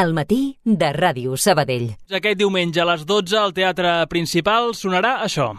al matí de Ràdio Sabadell. Aquest diumenge a les 12 al Teatre Principal sonarà això.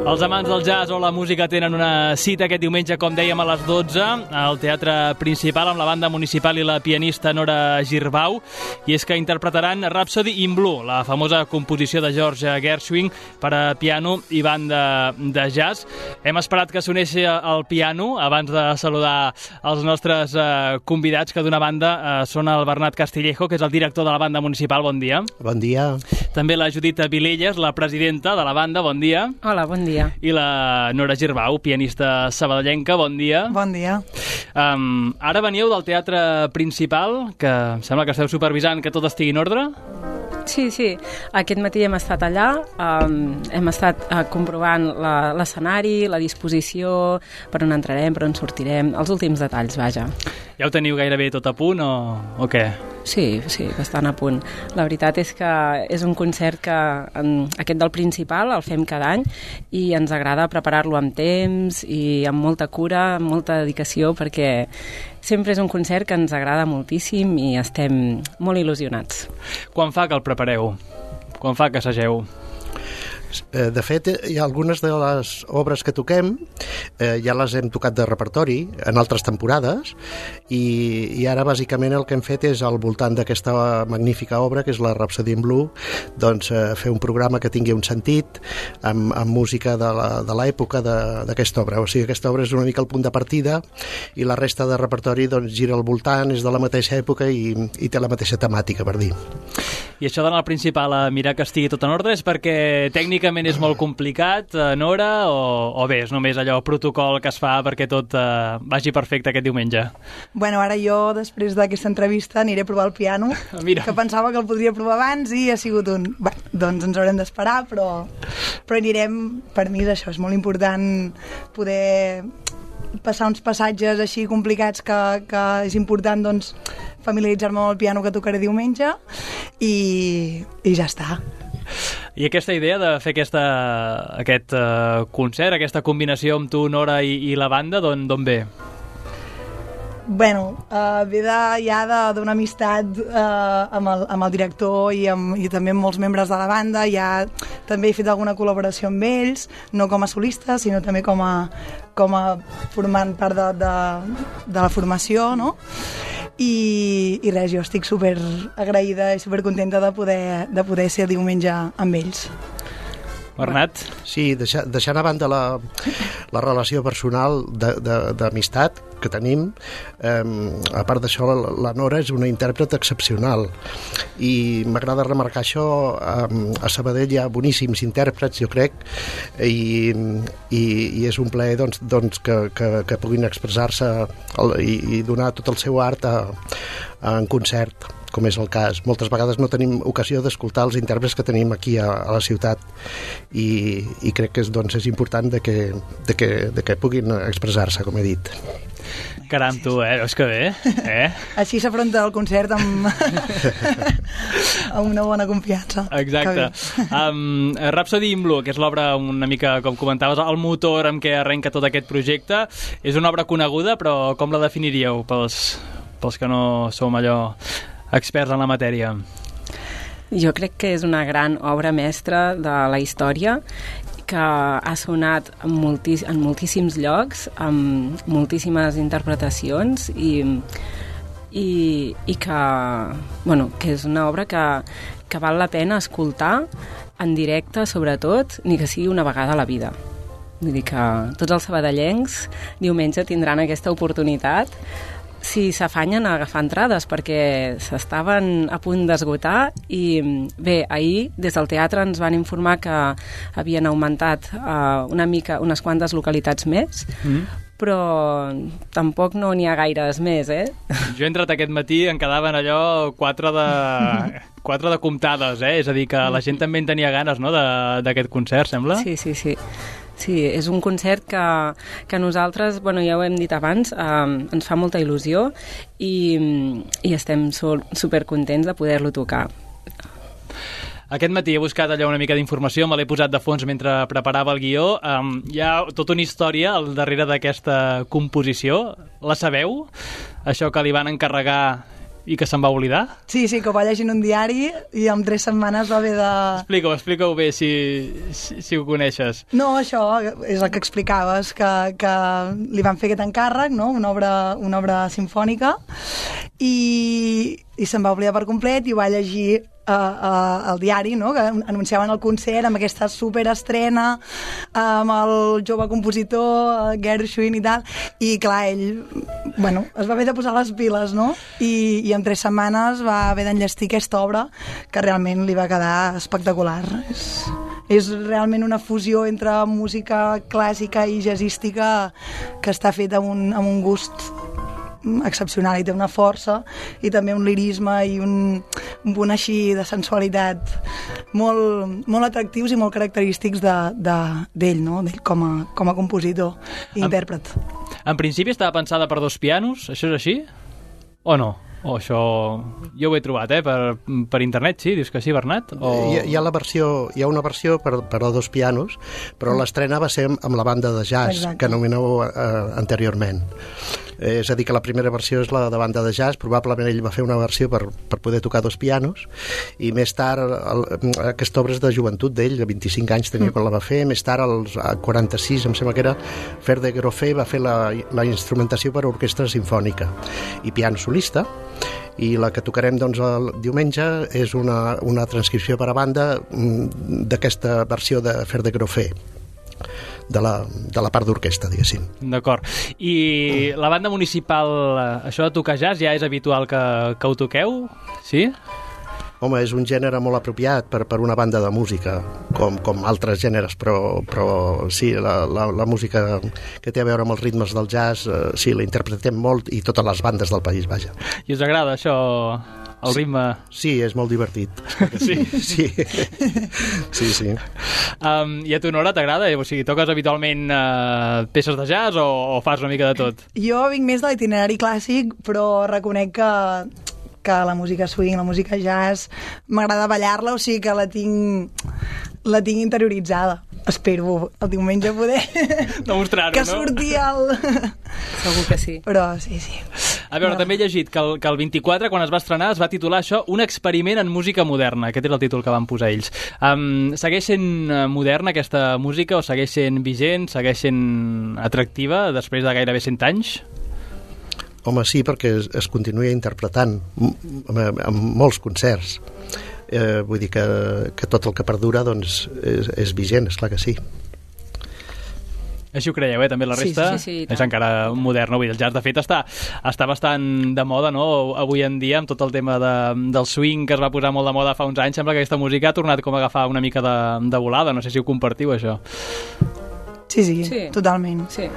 Els amants del jazz o la música tenen una cita aquest diumenge, com dèiem, a les 12 al Teatre Principal amb la banda municipal i la pianista Nora Girbau, i és que interpretaran Rhapsody in Blue, la famosa composició de George Gershwin per a piano i banda de jazz. Hem esperat que soneixi el piano abans de saludar els nostres convidats, que d'una banda són el Bernat Castillejo, que és el director de la banda municipal. Bon dia. Bon dia. També la Judit Vilelles, la presidenta de la banda. Bon dia. Hola, bon dia. I la Nora Girbau, pianista sabadellenca. Bon dia. Bon dia. Ara veníeu del Teatre Principal, que em sembla que esteu supervisant que tot estigui en ordre. Sí. Aquest matí hem estat allà, hem estat comprovant l'escenari, la disposició, per on entrarem, per on sortirem, els últims detalls, vaja. Ja ho teniu gairebé tot a punt o què? Sí, bastant a punt. La veritat és que és un concert que aquest del Principal el fem cada any i ens agrada preparar-lo amb temps i amb molta cura, amb molta dedicació, perquè sempre és un concert que ens agrada moltíssim i estem molt il·lusionats. Quan fa que el prepareu? Quan fa que assageu? De fet, hi ha algunes de les obres que toquem, ja les hem tocat de repertori en altres temporades, i ara bàsicament el que hem fet és al voltant d'aquesta magnífica obra, que és la Rhapsody in Blue, doncs fer un programa que tingui un sentit amb música de l'època d'aquesta obra. O sigui, aquesta obra és una mica el punt de partida i la resta de repertori doncs gira al voltant, és de la mateixa època i té la mateixa temàtica, per dir. I això d'anar al Principal a mirar que estigui tot en ordre és perquè tècnicament és molt complicat, Nora, o bé, és només allò protocol que es fa perquè tot vagi perfecte aquest diumenge? Bueno, ara jo, després d'aquesta entrevista, aniré a provar el piano, que pensava que el podria provar abans i ha sigut un... Bé, doncs ens haurem d'esperar, però anirem. Per mi és això, és molt important poder passar uns passatges així complicats que és important, doncs, familiaritzar-me amb el piano que tocaré diumenge i ja està. I aquesta idea de fer aquest concert, aquesta combinació amb tu, Nora, i la banda, d'on ve? Bueno, ve ja d'una amistat amb el director i també amb molts membres de la banda. Ja també he fet alguna col·laboració amb ells, no com a solista, sinó també com a formant part de la formació, no? I res, jo estic super agraïda i super contenta de poder ser diumenge amb ells. Bernat? Sí, deixant a banda la relació personal d'amistat que tenim, a part d'això, la Nora és una intèrpret excepcional i m'agrada remarcar això. A Sabadell hi ha boníssims intèrprets, jo crec, i és un plaer doncs, que puguin expressar-se i donar tot el seu art en concert, com és el cas. Moltes vegades no tenim ocasió d'escoltar els intèrprets que tenim aquí a la ciutat i crec que és important de que puguin expressar-se, com he dit. Caram, tu, veus que bé? Així s'afronta el concert amb una bona confiança. Exacte. Rhapsody in Blue, que és l'obra una mica, com comentaves, el motor amb què arrenca tot aquest projecte, és una obra coneguda, però com la definiríeu pels que no som allò experts en la matèria? Jo crec que és una gran obra mestra de la història que ha sonat en moltíssims llocs, amb moltíssimes interpretacions i que, bueno, que és una obra que val la pena escoltar en directe, sobretot, ni que sigui una vegada a la vida. Vull dir que tots els sabadellencs diumenge tindran aquesta oportunitat si s'afanyen a agafar entrades, perquè s'estaven a punt d'esgotar i bé, ahir des del teatre ens van informar que havien augmentat unes quantes localitats més, però tampoc no n'hi ha gaires més, Jo he entrat aquest matí, en quedaven allò 4 de comptades, És a dir, que la gent també en tenia ganes, no?, d'aquest concert, sembla? Sí. Sí, és un concert que nosaltres, bueno, ja ho hem dit abans, ens fa molta il·lusió i estem supercontents de poder-lo tocar. Aquest matí he buscat allò una mica d'informació, me l'he posat de fons mentre preparava el guió. Hi ha tota una història al darrere d'aquesta composició. La sabeu? Això que li van encarregar i que se'n va oblidar? Sí, que ho va llegir en un diari i en 3 setmanes va haver de... Explica-ho bé, si ho coneixes. No, això és el que explicaves, que li van fer aquest encàrrec, no?, una obra simfònica, i se'n va oblidar per complet i ho va llegir al diari, no?, que anunciaven el concert amb aquesta superestrena amb el jove compositor Gershwin i tal, i clar, ell es va haver de posar les piles, no?, i en 3 setmanes va haver d'enllestir aquesta obra que realment li va quedar espectacular. És realment una fusió entre música clàssica i jazzística que està feta amb un gust excepcional, i té una força i també un lirisme i un punt així de sensualitat molt atractius i molt característics d'ell, no?, d'ell com a compositor i intèrpret. En principi estava pensada per 2 pianos, això és així? O no? O això... Jo ho he trobat, per internet, sí? Dius que sí, Bernat? O... Hi ha una versió per a 2 pianos, però l'estrena va ser amb la banda de jazz. Exacte. Que anomeneu anteriorment. És a dir, que la primera versió és la de banda de jazz, probablement ell va fer una versió per poder tocar 2 pianos, i més tard, aquesta obra és de joventut d'ell, de 25 anys tenia quan la va fer, més tard, als 46, em sembla que era, Fer de Grofé va fer la instrumentació per a orquestra sinfònica i piano solista, i la que tocarem doncs el diumenge és una transcripció per a banda d'aquesta versió de Fer de Grofé, de la part d'orquestra, diguéssim. D'acord. I la banda municipal, això de tocar jazz ja és habitual que ho toqueu? Sí? Home, és un gènere molt apropiat per una banda de música, com altres gèneres, però sí, la música que té a veure amb els ritmes del jazz, sí, la interpretem molt, i totes les bandes del país, vaja. I us agrada això, el ritme? Sí, és molt divertit. Sí? Sí. I a tu, Nora, t'agrada? O sigui, toques habitualment peces de jazz o fas una mica de tot? Jo vinc més de l'itinerari clàssic, però reconec que la música swing, la música jazz, m'agrada ballar-la, o sigui que la tinc interioritzada. Espero el diumenge poder demostrar-ho, que surti el... Segur que sí. Però sí. A veure, també he llegit que el 24, quan es va estrenar, es va titular això Un experiment en música moderna. Aquest era el títol que van posar ells. Segueix sent moderna aquesta música, o segueix sent vigent, segueix sent atractiva després de gairebé 100 anys? Home, sí, perquè es continua interpretant en molts concerts. Vull dir que tot el que perdura doncs, és vigent, esclar que sí. Així ho creieu, també la resta? Sí, és encara moderna. Avui el jazz, de fet, està bastant de moda, no?, avui en dia, amb tot el tema del swing que es va posar molt de moda fa uns anys. Sembla que aquesta música ha tornat com a agafar una mica de volada. No sé si ho compartiu, això. Sí, totalment. Sí.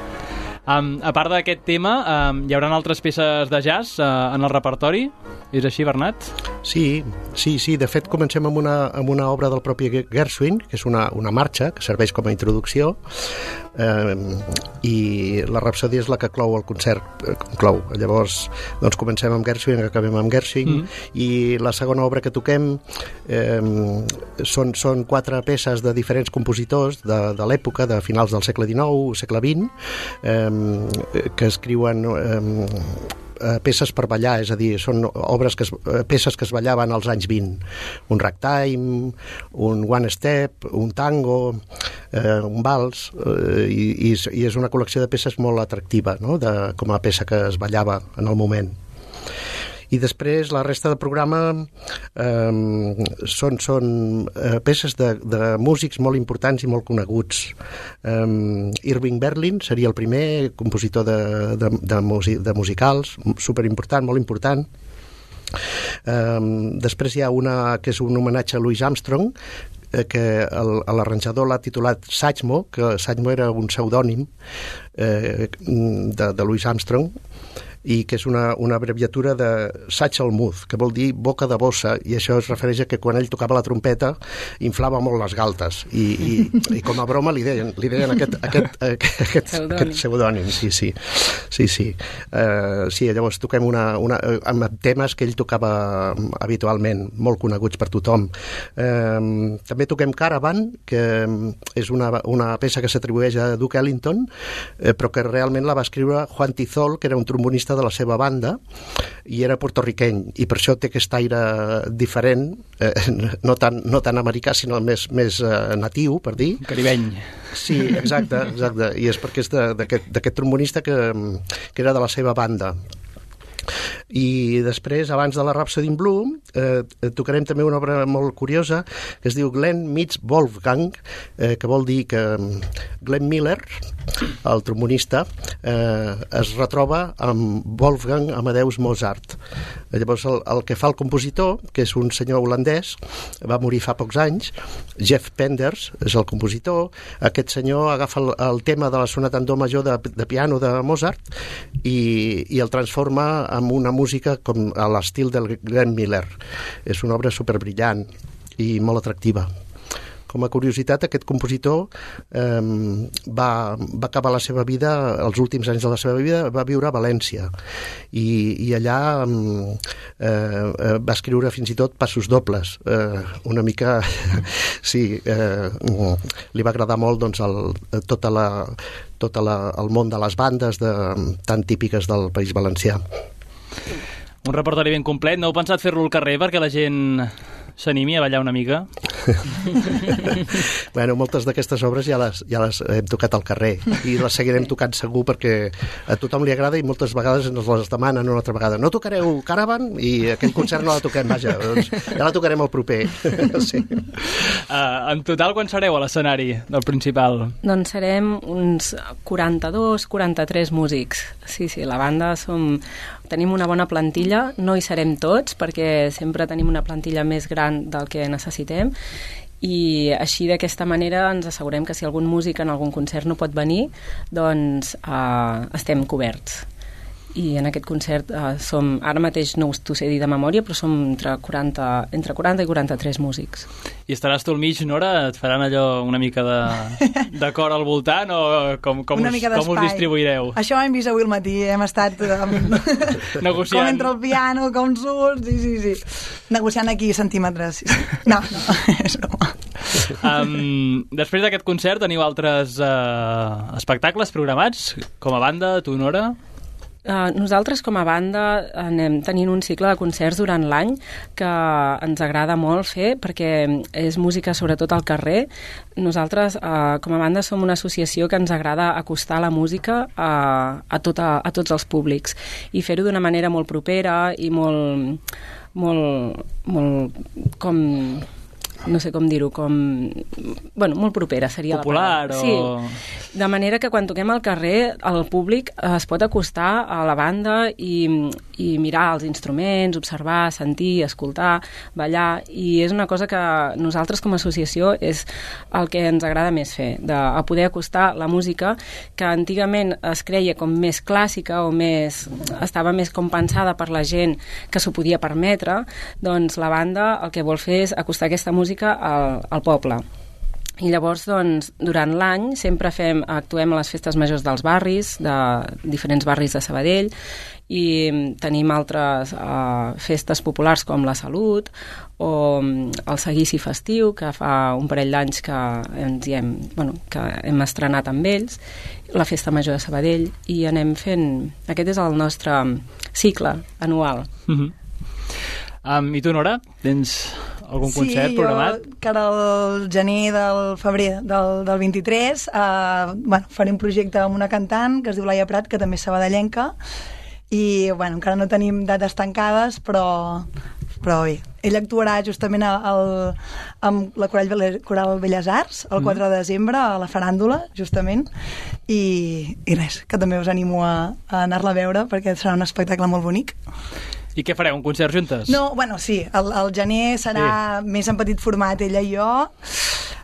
A part d'aquest tema, hi haurà altres peces de jazz en el repertori? És així, Bernat? Sí. De fet, comencem amb una obra del propi Gershwin, que és una marxa, que serveix com a introducció, i la Rapsòdia és la que clou el concert. Llavors, doncs comencem amb Gershwin, acabem amb Gershwin, i la segona obra que toquem són 4 peces de diferents compositors de l'època, de finals del segle XIX, segle XX, que escriuen peces per ballar, és a dir, són peces que es ballaven als anys 20. Un ragtime, un one step, un tango, un vals, i és una col·lecció de peces molt atractiva, no? Com a peça que es ballava en el moment. I després la resta del programa són peces de músics molt importants i molt coneguts. Irving Berlin seria el primer compositor de musicals, superimportant, molt important. Després hi ha una que és un homenatge a Louis Armstrong, que l'arranjador l'ha titulat Satchmo, que Satchmo era un pseudònim de Louis Armstrong, i que és una abreviatura de Satchel Muth, que vol dir boca de bossa, i això es refereix a que quan ell tocava la trompeta inflava molt les galtes, i com a broma li deien aquest pseudònim. Sí, llavors toquem amb temes que ell tocava habitualment, molt coneguts per tothom. També toquem Caravan, que és una peça que s'atribueix a Duke Ellington, però que realment la va escriure Juan Tizol, que era un trombonista de la seva banda, i era portorriqueny, i per això té aquest aire diferent, no tan americà, sinó més natiu, per dir. Caribeny. Sí, exacte, i és perquè és d'aquest trombonista que era de la seva banda. I després, abans de la Rhapsody in Blue, tocarem també una obra molt curiosa que es diu Glenn meets Wolfgang, que vol dir que Glenn Miller, el trombonista, es retroba amb Wolfgang Amadeus Mozart. Llavors el que fa el compositor, que és un senyor holandès, va morir fa pocs anys, Jeff Penders és el compositor. Aquest senyor agafa el tema de la sonata en do major de piano de Mozart i el transforma en una música com a l'estil del Glenn Miller. És una obra superbrillant i molt atractiva. Com a curiositat, aquest compositor va acabar la seva vida, els últims anys de la seva vida, va viure a València i allà va escriure fins i tot passos dobles. Una mica, sí, li va agradar molt doncs, tot el món de les bandes tan típiques del País Valencià. Un repertori ben complet. No heu pensat fer-lo al carrer perquè la gent s'animi a ballar una mica? Bueno, moltes d'aquestes obres ja les hem tocat al carrer i les seguirem tocant segur perquè a tothom li agrada i moltes vegades ens les demanen una altra vegada. No tocareu Caravan? I aquell concert no la toquem, vaja, doncs ja la tocarem al proper. Sí. En total, quan sereu a l'escenari del Principal? Doncs serem uns 42-43 músics. Sí, la banda tenim una bona plantilla, no hi serem tots perquè sempre tenim una plantilla més gran del que necessitem i així d'aquesta manera ens assegurem que si algun músic en algun concert no pot venir, doncs estem coberts. I en aquest concert ara mateix no t'ho sé dir de memòria, però som entre 40 i 43 músics. I estaràs tu al mig, Nora? Et faran allò una mica de cor al voltant o com us distribuireu? Això ho hem vist avui al matí, hem estat negociant. Com entre el piano, com surts, sí. Negociant aquí centímetres. Sí. No, és broma. Després d'aquest concert teniu altres espectacles programats com a banda, tu, Nora? Nosaltres com a banda anem tenint un cicle de concerts durant l'any que ens agrada molt fer perquè és música sobretot al carrer. Nosaltres com a banda som una associació que ens agrada acostar la música a tots els públics i fer-ho d'una manera molt propera i molt com no sé com dir-ho, molt propera seria popular la paraula. Sí, de manera que quan toquem al carrer el públic es pot acostar a la banda i mirar els instruments, observar, sentir, escoltar, ballar, i és una cosa que nosaltres com a associació és el que ens agrada més fer, a poder acostar la música que antigament es creia com més clàssica o estava més com pensada per la gent que s'ho podia permetre, doncs la banda el que vol fer és acostar aquesta música al poble. I llavors, doncs, durant l'any sempre actuem a les festes majors dels barris, de diferents barris de Sabadell, i tenim altres festes populars com la Salut o el Seguici Festiu, que fa un parell d'anys que que hem estrenat amb ells, la Festa Major de Sabadell, i anem fent... Aquest és el nostre cicle anual. I tu, Nora, tens algun concert programat? Sí, jo, que era el gener del febrer del 23, faré un projecte amb una cantant que es diu Laia Prat, que també és sabadellenca, i encara no tenim dates tancades, però bé. Ella actuarà justament amb la Coral Belles Arts el 4 de desembre a la Faràndula, justament, i res, que també us animo a anar-la a veure perquè serà un espectacle molt bonic. I què fareu, un concert juntes? No, sí, el gener serà més en petit format, ella i jo.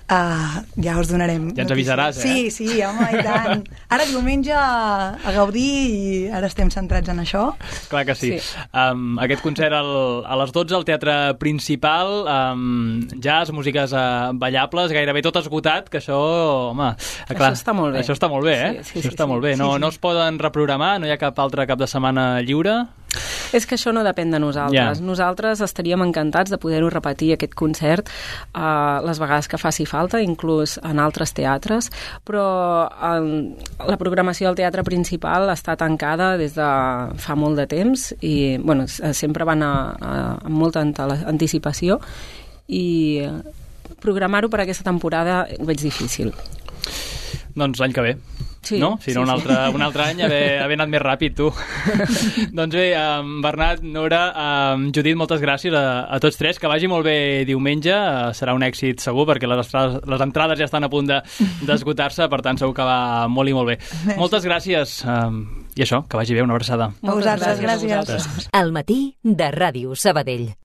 Ja us donarem. Ja ens avisaràs, Sí, home, i tant. Ara diumenge a gaudir i ara estem centrats en això. Clar que sí. Aquest concert a les 12 al Teatre Principal, jazz, músiques ballables, gairebé tot esgotat, que això, home... Clar, això està molt bé. Això està molt bé, Sí, això està molt bé. No es poden reprogramar? No hi ha cap altre cap de setmana lliure? És que això no depèn de nosaltres. Nosaltres estaríem encantats de poder-ho repetir, aquest concert, les vegades que faci falta, inclús en altres teatres, però la programació del Teatre Principal està tancada des de fa molt de temps i sempre van amb molta anticipació, i programar-ho per aquesta temporada ho veig difícil. Doncs l'any que ve. Sí, no? Si no, un altre any haver anat més ràpid, tu. Doncs bé, Bernat, Nora, Judit, moltes gràcies a tots tres. Que vagi molt bé diumenge. Serà un èxit segur, perquè les entrades ja estan a punt d'esgotar-se, per tant segur que va molt i molt bé. Moltes gràcies. I això, que vagi bé, una abraçada. A vosaltres, gràcies. Al matí de Ràdio Sabadell.